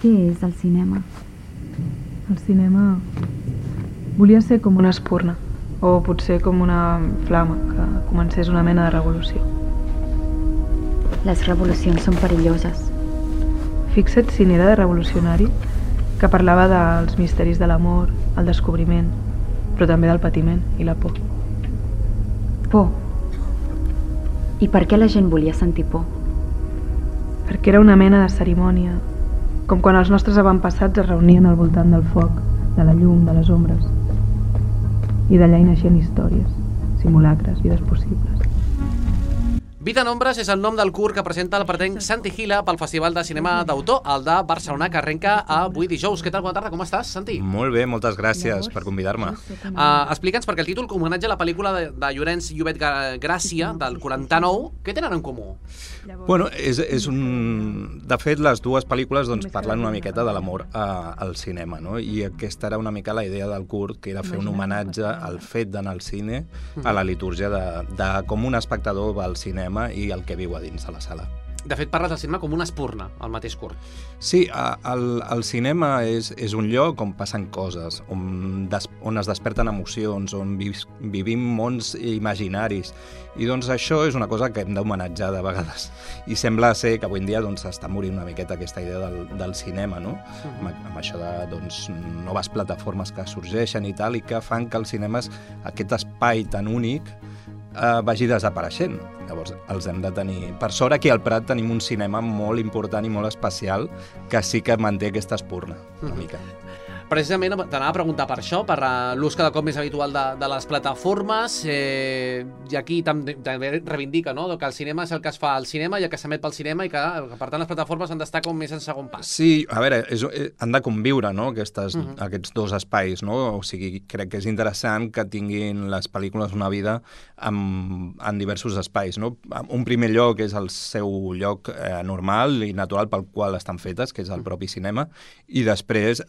Què és el cinema? El cinema volia ser com una espurna, o potser com una flama que comencés una mena de revolució. Les revolucions són perilloses. Fixa't si n'era de revolucionari, que parlava dels misteris de l'amor, el descobriment, però també del patiment i la por. Por. I per què la gent volia sentir por? Perquè era una mena de cerimònia, com quan els nostres avantpassats es reunien al voltant del foc, de la llum, de les ombres. I d'allà hi naixien històries, simulacres, vides possibles. Vida en ombres és el nom del curt que presenta el pretenc Santi Gila pel Festival de Cinema d'Autor, el de Barcelona, que arrenca avui dijous. Què tal? Bona tarda, com estàs, Santi? Molt bé, moltes gràcies per convidar-me. Explica'ns, perquè el títol homenatge a la pel·lícula de Llorenç Llobet Gràcia, del 49, què tenen en comú? Bueno, de fet, les dues pel·lícules parlen una miqueta de l'amor al cinema, no? I aquesta era una mica la idea del curt, que era fer un homenatge al fet d'anar al cine, a la litúrgia de com un espectador va al cinema i el que viu a dins de la sala. De fet, parles del cinema com una espurna, el mateix curt. Sí, el cinema és un lloc on passen coses, on es desperten emocions, on vivim mons imaginaris. I doncs això és una cosa que hem d'homenatjar de vegades. I sembla ser que avui en dia està morint una miqueta aquesta idea del cinema, no? Amb això de noves plataformes que sorgeixen i tal, i que fan que el cinema, aquest espai tan únic, vagi desapareixent. Llavors els hem de tenir... Per sort aquí al Prat tenim un cinema molt important i molt especial que sí que manté aquesta espurna una mica. Precisament t'anava a preguntar per això, per l'ús cada cop més habitual de les plataformes, i aquí també reivindica, no?, que el cinema és el que es fa al cinema i el que s'emet pel cinema i que, per tant, les plataformes han d'estar com més en segon pas. Sí, a veure, han de conviure, no?, aquests dos espais, no? O sigui, crec que és interessant que tinguin les pel·lícules una vida en diversos espais, no? Un primer lloc és el seu lloc normal i natural pel qual estan fetes, que és el propi cinema, i després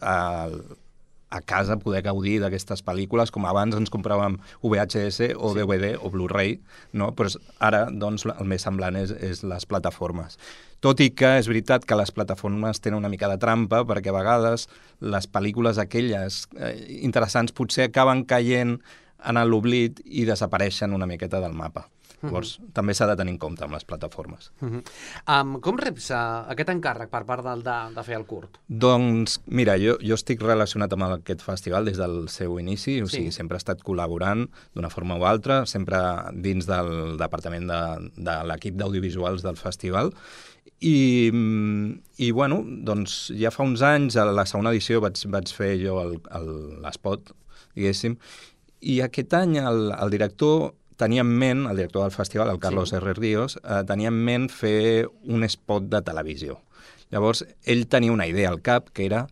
a casa poder gaudir d'aquestes pel·lícules, com abans ens compràvem VHS o DVD o Blu-ray, no? Però ara, doncs, el més semblant és les plataformes. Tot i que és veritat que les plataformes tenen una mica de trampa, perquè a vegades les pel·lícules aquelles interessants potser acaben caient en l'oblit i desapareixen una miqueta del mapa. Llavors, també s'ha de tenir en compte amb les plataformes. Com reps aquest encàrrec per part de fer el curt? Doncs, mira, jo estic relacionat amb aquest festival des del seu inici, o sigui, sempre he estat col·laborant d'una forma o altra, sempre dins del departament de l'equip d'audiovisuals del festival, i bueno, doncs ja fa uns anys, a la segona edició vaig fer jo l'espot, diguéssim, i aquest any el director tenia en ment, el director del festival, el Carlos R. Ríos, tenia en ment fer un spot de televisió. Llavors, ell tenia una idea al cap, que era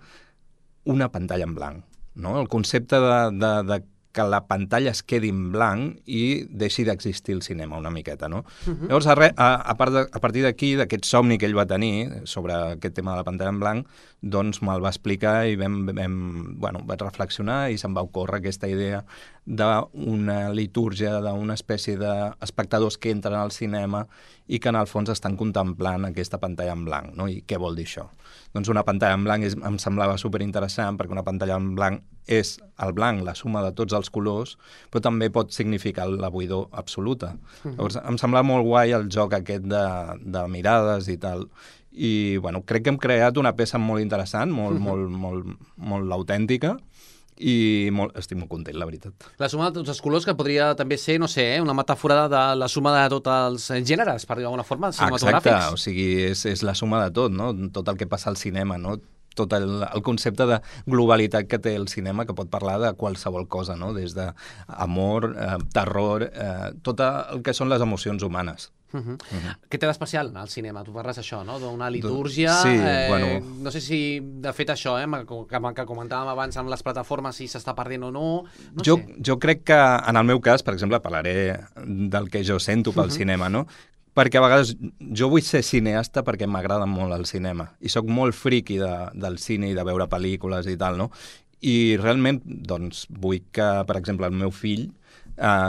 una pantalla en blanc, no? El concepte de que la pantalla es quedi en blanc i deixi d'existir el cinema una miqueta, no? Llavors, a partir d'aquí, d'aquest somni que ell va tenir sobre aquest tema de la pantalla en blanc, doncs me'l va explicar i vaig reflexionar i se'm va ocórrer aquesta idea d'una litúrgia, d'una espècie d'espectadors que entren al cinema i que en el fons estan contemplant aquesta pantalla en blanc, no? I què vol dir això? Doncs una pantalla en blanc em semblava superinteressant, perquè una pantalla en blanc és el blanc, la suma de tots els colors, però també pot significar la buidor absoluta. Llavors, em semblava molt guai el joc aquest de mirades i tal. I bueno, crec que hem creat una peça molt interessant, molt autèntica, i estic molt content, la veritat. La suma de tots els colors, que podria també ser, no sé, una metàfora de la suma de tots els gèneres, per dir d'alguna forma, cinematogràfics. Exacte, o sigui, és la suma de tot, no? Tot el que passa al cinema, no? Tot el concepte de globalitat que té el cinema, que pot parlar de qualsevol cosa, no? Des d'amor, terror, tot el que són les emocions humanes. Què té d'especial al cinema? Tu parles això, no? D'una litúrgia. Sí, bueno. No sé si, de fet, això, que comentàvem abans amb les plataformes, si s'està perdent o no. Jo crec que, en el meu cas, per exemple, parlaré del que jo sento pel cinema, no? Perquè a vegades jo vull ser cineasta perquè m'agrada molt el cinema i sóc molt friqui del cine i de veure pel·lícules i tal, no? I realment, doncs, vull que, per exemple, el meu fill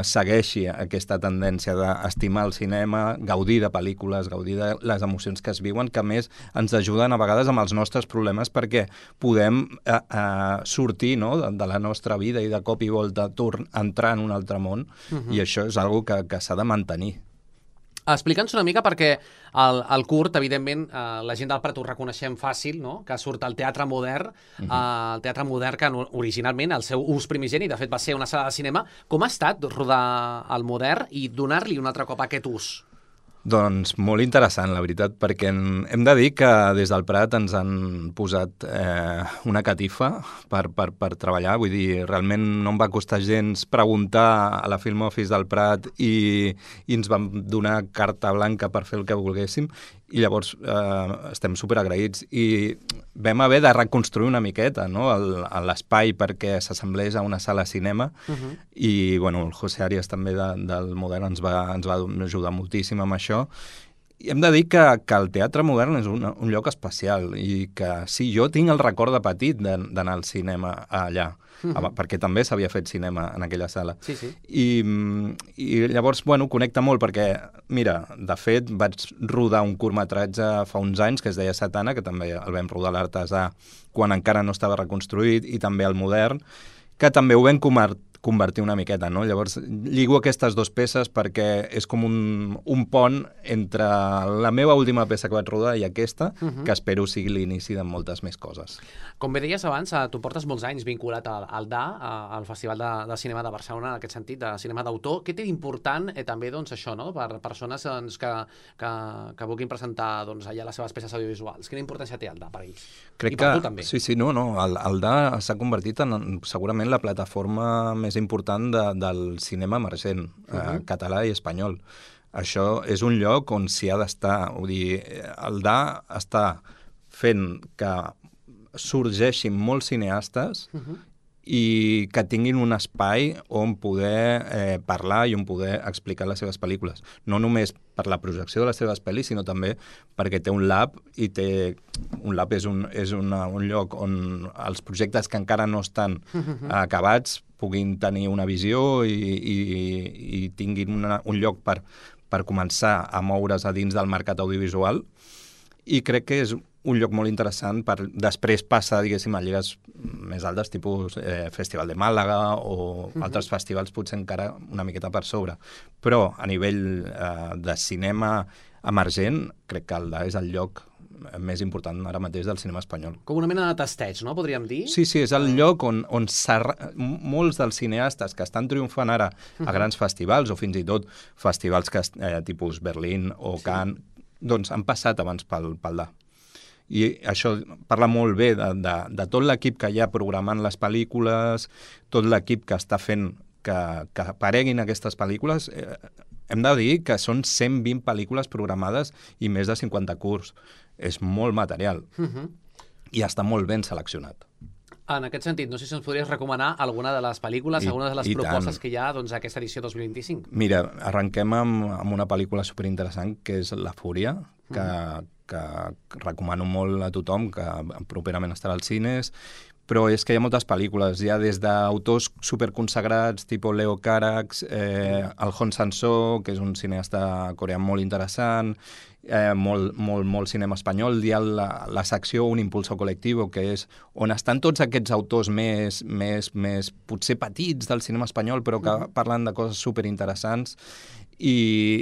segueixi aquesta tendència d'estimar el cinema, gaudir de pel·lícules, gaudir de les emocions que es viuen, que a més ens ajuden a vegades amb els nostres problemes perquè podem sortir, no?, de la nostra vida i de cop i volta entrar en un altre món, i això és algo que s'ha de mantenir. Explica'ns una mica, perquè el curt, evidentment, la gent del Prat ho reconeixem fàcil, no?, que surt al teatre modern, el teatre modern que originalment el seu ús primigeni, de fet, va ser una sala de cinema. Com ha estat rodar al modern i donar-li un altre cop aquest ús? Doncs molt interessant, la veritat, perquè hem de dir que des del Prat ens han posat una catifa per treballar. Vull dir, realment no em va costar gens preguntar a la Film Office del Prat i ens van donar carta blanca per fer el que volguéssim, i llavors estem superagraïts. I vam haver de reconstruir una miqueta, no?, l'espai perquè s'assemblés a una sala de cinema, i bueno, el José Arias també del Modern ens va ajudar moltíssim amb això. I hem de dir que el teatre modern és un lloc especial i que sí, jo tinc el record de petit d'anar al cinema allà, perquè també s'havia fet cinema en aquella sala. Sí, sí. I llavors, bueno, connecta molt perquè, mira, de fet, vaig rodar un curtmetratge fa uns anys que es deia Satana, que també el vam rodar a l'Artesà quan encara no estava reconstruït, i també al Modern, que també ho vam convertir una miqueta, no? Llavors, lligo aquestes dues peces perquè és com un pont entre la meva última peça que vaig rodar i aquesta, que espero sigui l'inici de moltes més coses. Com bé deies abans, tu portes molts anys vinculat al DA, al Festival de Cinema de Barcelona, en aquest sentit, de cinema d'autor. Què té d'important també, doncs, això, no?, per persones que vulguin presentar allà les seves peces audiovisuals? Quina importància té el DA per ells? Crec I per tu també. Sí, no, el DA s'ha convertit en segurament la plataforma més important del cinema emergent, català i espanyol. Això és un lloc on s'hi ha d'estar. Vull dir, el DA està fent que sorgeixin molts cineastes i que tinguin un espai on poder parlar i on poder explicar les seves pel·lícules. No només per la projecció de les seves pel·lis, sinó també perquè té un lab, i un lab és un lloc on els projectes que encara no estan acabats puguin tenir una visió i tinguin un lloc per començar a moure's a dins del mercat audiovisual. I crec que és un lloc molt interessant després passar, diguéssim, a lligues més altes, tipus Festival de Màlaga o altres festivals potser encara una miqueta per sobre. Però a nivell de cinema emergent, crec que el DA és el lloc més important ara mateix del cinema espanyol. Com una mena de testeig, no?, podríem dir? Sí, és el lloc on molts dels cineastes que estan triomfant ara a grans festivals, o fins i tot festivals tipus Berlín o Cannes, doncs han passat abans pel DA. I això parla molt bé de tot l'equip que hi ha programant les pel·lícules, tot l'equip que està fent que apareguin aquestes pel·lícules. Hem de dir que són 120 pel·lícules programades i més de 50 curts. És molt material i està molt ben seleccionat. En aquest sentit, no sé si ens podries recomanar alguna de les pel·lícules, alguna de les propostes que hi ha a aquesta edició 2025. Mira, arrenquem amb una pel·lícula superinteressant que és La Fúria, que recomano molt a tothom, que properament estarà als cines, però és que hi ha moltes pel·lícules, ja des d'autors superconsagrats, tipus Leo Carax, el Hong Sang-soo, que és un cineasta coreà molt interessant, molt cinema espanyol. Hi ha la secció Un impulso col·lectiu, que és on estan tots aquests autors més potser petits del cinema espanyol, però que parlen de coses superinteressants. I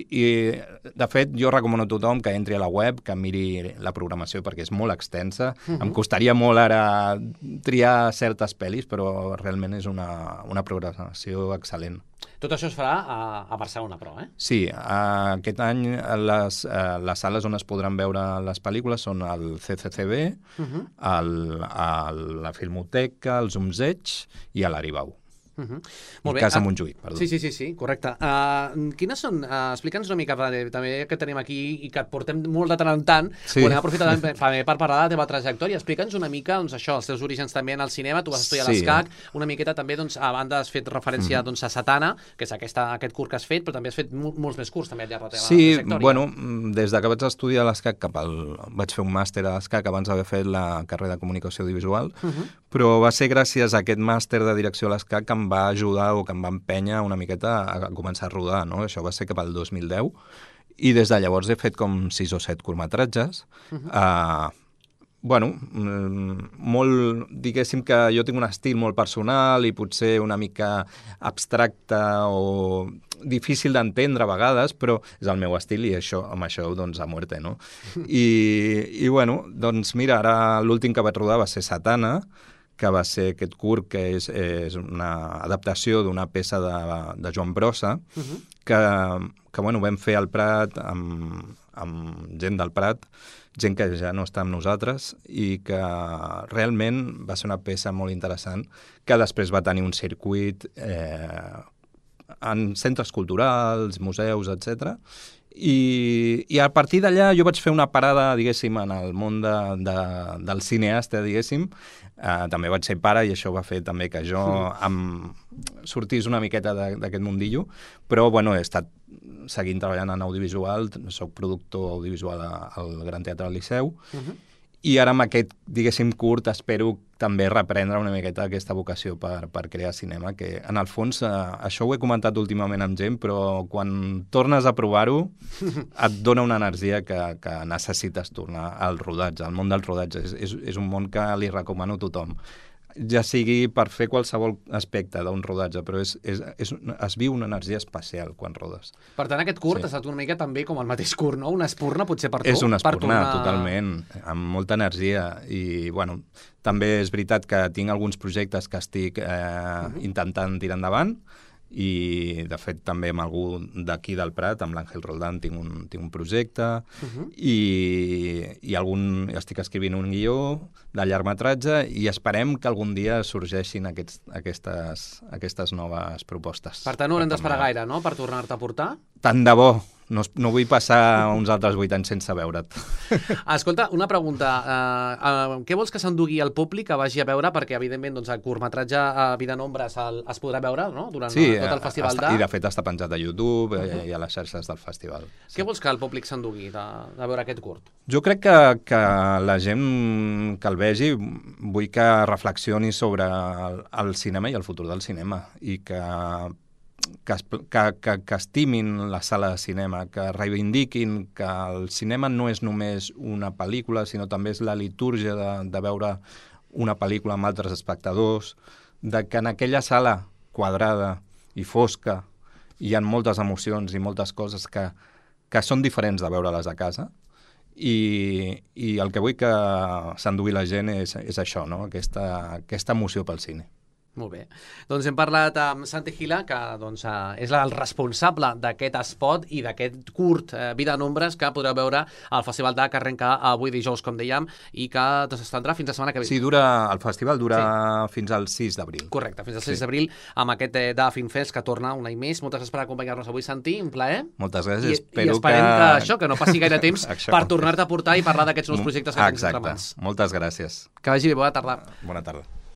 de fet, jo recomano a tothom que entri a la web, que miri la programació, perquè és molt extensa. Em costaria molt ara triar certes pel·lis, però realment és una programació excel·lent. Tot això es farà a Barcelona, però, eh? Sí, aquest any les sales on es podran veure les pel·lícules són el CCCB, la Filmoteca, el Zumzeig i a l'Aribau. Molt bé. Casa Montjuïc, perdó. Sí, correcte. Quines són, explica'ns una mica, també que tenim aquí i que et portem molt de tant en tant, on hem aprofitat per parlar de la teva trajectòria. Explica'ns una mica, doncs això, els teus orígens també en el cinema, tu vas estudiar a l'ESCAC, una miqueta també, doncs, a banda has fet referència a Satana, que és aquest curt que has fet, però també has fet molts més curts també al llarg de la teva trajectòria. Sí, bueno, des de que vaig estudiar a l'ESCAC vaig fer un màster a l'ESCAC abans d'haver fet la carrera de comunicació audiovisual, però va ser gràcies a aquest màster de direcció a l'ESCAC que em va ajudar o que em va empènyer una miqueta a començar a rodar, no? Això va ser cap al 2010, i des de llavors he fet com 6 o 7 curtmetratges. Bueno, molt, diguéssim que jo tinc un estil molt personal i potser una mica abstracte o difícil d'entendre a vegades, però és el meu estil i això, amb això doncs a muerte, no? I bueno, doncs mira, ara l'últim que vaig rodar va ser Satana, que va ser aquest curt que és una adaptació d'una peça de Joan Brossa, que bueno, vam fer al Prat amb gent del Prat, gent que ja no està amb nosaltres i que realment va ser una peça molt interessant que després va tenir un circuit en centres culturals, museus, etc. I a partir d'allà jo vaig fer una parada, diguéssim, en el món del cineasta, diguéssim. També vaig ser pare i això va fer també que jo sortís una miqueta d'aquest mundillo, però bueno, he estat seguint treballant en audiovisual, soc productor audiovisual al Gran Teatre del Liceu, i ara amb aquest, diguéssim, curt espero també reprendre una miqueta aquesta vocació per crear cinema, que en el fons, això ho he comentat últimament amb gent, però quan tornes a provar-ho et dona una energia que necessites tornar al rodatge, al món del rodatge. És un món que li recomano a tothom. Ja sigui per fer qualsevol aspecte d'un rodatge, però es viu una energia especial quan rodes. Per tant, aquest curt ha estat una mica també com el mateix curt, no? Una espurna, potser per tu? És una espurna, totalment, amb molta energia. I, bueno, també és veritat que tinc alguns projectes que estic intentant tirar endavant, i de fet també amb algú d'aquí del Prat, amb l'Àngel Roldán tinc un projecte, i estic escrivint un guió de llargmetratge i esperem que algun dia sorgeixin aquestes noves propostes. Per tant, no haurem d'esperar gaire, no?, per tornar-te a portar? Tant de bo. No vull passar uns altres 8 anys sense veure't. Escolta, una pregunta. Què vols que s'endugui el públic que vagi a veure? Perquè, evidentment, doncs, el curtmetratge Vida en ombres es podrà veure, no?, durant tot el festival i de fet està penjat a YouTube i a les xarxes del festival. Què vols que el públic s'endugui de veure aquest curt? Jo crec que la gent que el vegi vull que reflexioni sobre el cinema i el futur del cinema i que estimin la sala de cinema, que reivindiquin que el cinema no és només una pel·lícula, sinó també és la litúrgia de veure una pel·lícula amb altres espectadors, de que en aquella sala quadrada i fosca hi ha moltes emocions i moltes coses que són diferents de veure-les a casa, i el que vull que s'endugui la gent és això, no? Aquesta emoció pel cine. Molt bé. Doncs hem parlat amb Santi Gila, que doncs, és el responsable d'aquest spot i d'aquest curt Vida en ombres que podreu veure al Festival que arrenca avui dijous, com dèiem, i que s'estendrà fins la setmana que ve. Sí, el festival dura fins al 6 d'abril. Correcte, fins al 6 d'abril, amb aquest Film Fest que torna un any més. Moltes gràcies per acompanyar-nos avui, Santi, un plaer. Moltes gràcies. I esperem que no passi gaire temps per tornar-te a portar i parlar d'aquests nous projectes que tens entre mans. Moltes gràcies. Que vagi bé, bona tarda. Bona tarda.